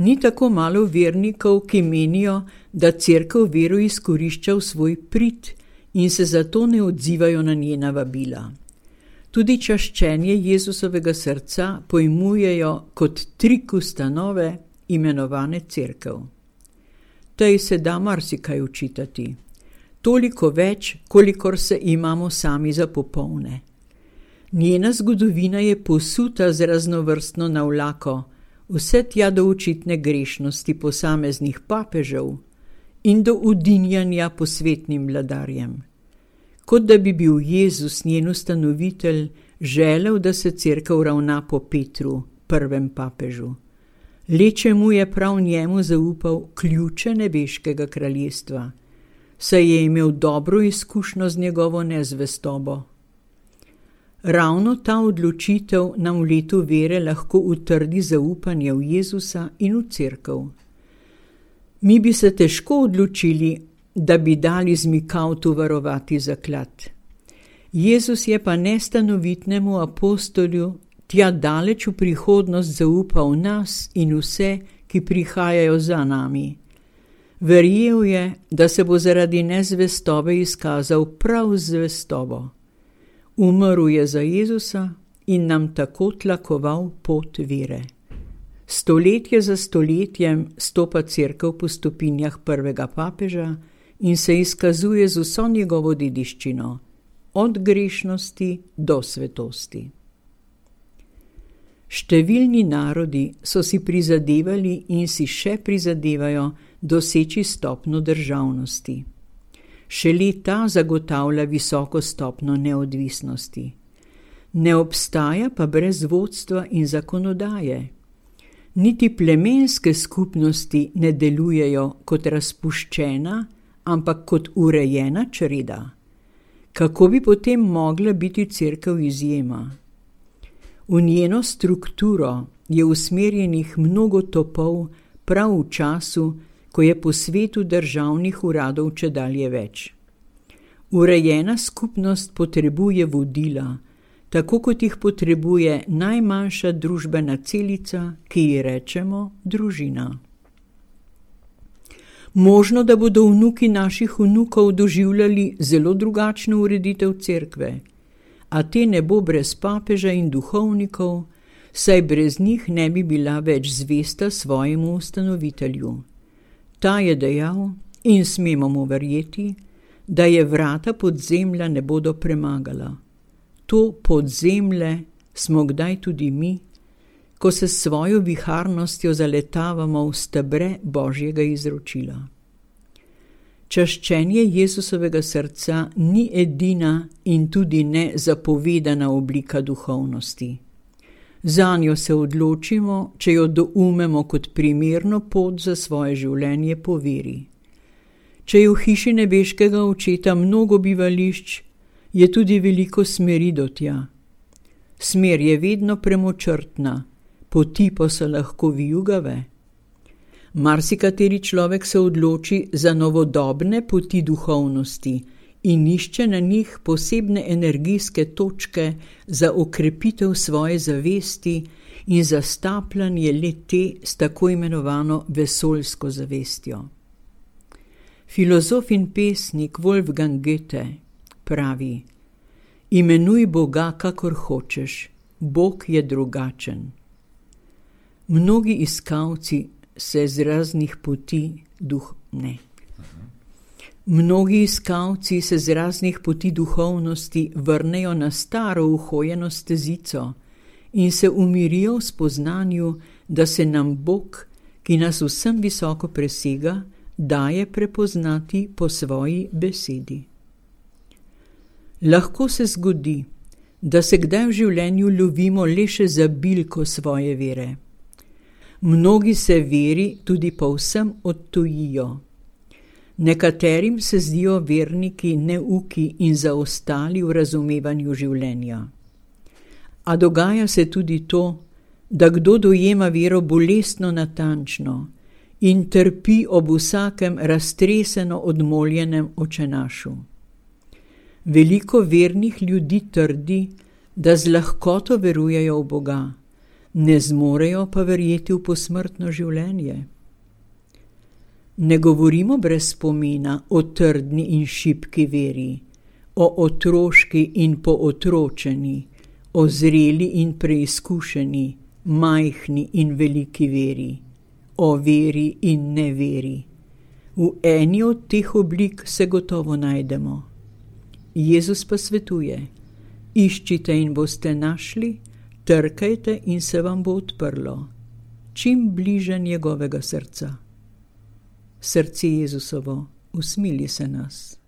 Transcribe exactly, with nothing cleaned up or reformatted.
Ni tako malo vernikov, ki menijo, da cerkev vero izkorišča v svoj prid in se zato ne odzivajo na njena vabila. Tudi čaščenje Jezusovega srca pojmujejo kot trik ustanove, imenovane cerkev. Tej se da marsikaj učitati, toliko več, kolikor se imamo sami za popolne. Njena zgodovina je posuta z raznovrstno navlako, vse tja do očitne grešnosti posameznih papežev in do udinjanja posvetnim vladarjem. Kot da bi bil Jezus, njen ustanovitelj, želel, da se cerkev ravna po Petru, prvem papežu. Leče mu je prav njemu zaupal ključe nebeškega kraljestva, saj je imel dobro izkušnjo z njegovo nezvestobo. Ravno ta odločitev nam v letu vere lahko utrdi zaupanje v Jezusa in v cerkev. Mi bi se težko odločili, da bi dali zmikavtu varovati zaklad. Jezus je pa nestanovitnemu apostolju tja daleč v prihodnost zaupal nas in vse, ki prihajajo za nami. Verjel je, da se bo zaradi nezvestobe izkazal prav zvestobo. Umrl je za Jezusa in nam tako tlakoval pot vere. Stoletje za stoletjem stopa cerkev po stopinjah prvega papeža in se izkazuje z vso njegovo dediščino, od grešnosti do svetosti. Številni narodi so si prizadevali in si še prizadevajo doseči stopnjo državnosti. Šele ta zagotavlja visoko stopnjo neodvisnosti. Ne obstaja pa brez vodstva in zakonodaje. Niti plemenske skupnosti ne delujejo kot razpuščena, ampak kot urejena čreda. Kako bi potem mogla biti cerkev izjema? V njeno strukturo je usmerjenih mnogo topov prav v času, ko je po svetu državnih uradov čedalje več. Urejena skupnost potrebuje vodila, tako kot jih potrebuje najmanjša družbena celica, ki ji rečemo družina. Možno, da bodo vnuki naših vnukov doživljali zelo drugačno ureditev cerkve, a te ne bo brez papeža in duhovnikov, saj brez njih ne bi bila več zvesta svojemu ustanovitelju. Ta je dejal, in smemo mu verjeti, da je vrata podzemlja ne bodo premagala. To podzemlje smo kdaj tudi mi, ko se s svojo viharnostjo zaletavamo v stebre Božjega izročila. Čaščenje Jezusovega srca ni edina in tudi ne zapovedana oblika duhovnosti. Zanjo se odločimo, če jo doumemo kot primerno pot za svoje življenje po veri. Če je v hiši nebeškega očeta mnogo bivališč, je tudi veliko smeri do tja. Smer je vedno premočrtna, poti pa so lahko vijugave. Marsikateri človek se odloči za novodobne poti duhovnosti in išče na njih posebne energijske točke za okrepitev svoje zavesti in za stapljanje le-te s tako imenovano vesoljsko zavestjo. Filozof in pesnik Wolfgang Goethe pravi: imenuj Boga, kakor hočeš, Bog je drugačen. Mnogi iskalci se z raznih poti duh ne. Mnogi iskalci se z raznih poti duhovnosti vrnejo na staro uhojeno stezico in se umirijo v spoznanju, da se nam Bog, ki nas vsem visoko presega, daje prepoznati po svoji besedi. Lahko se zgodi, da se kdaj v življenju lovimo le še za bilko svoje vere. Mnogi se veri tudi povsem odtujijo. Nekaterim se zdijo verniki neuki in zaostali v razumevanju življenja. A dogaja se tudi to, da kdo dojema vero bolestno natančno in trpi ob vsakem raztreseno odmoljenem očenašu. Veliko vernih ljudi trdi, da z lahkoto verujejo v Boga, ne zmorejo pa verjeti v posmrtno življenje. Ne govorimo brez spomina o trdni in šibki veri, o otroški in pootročeni, o zreli in preizkušeni, majhni in veliki veri, o veri in neveri. V eni od teh oblik se gotovo najdemo. Jezus pa svetuje: iščite in boste našli, trkajte in se vam bo odprlo, čim bliže njegovega srca. Srce Jezusovo, usmili se nas.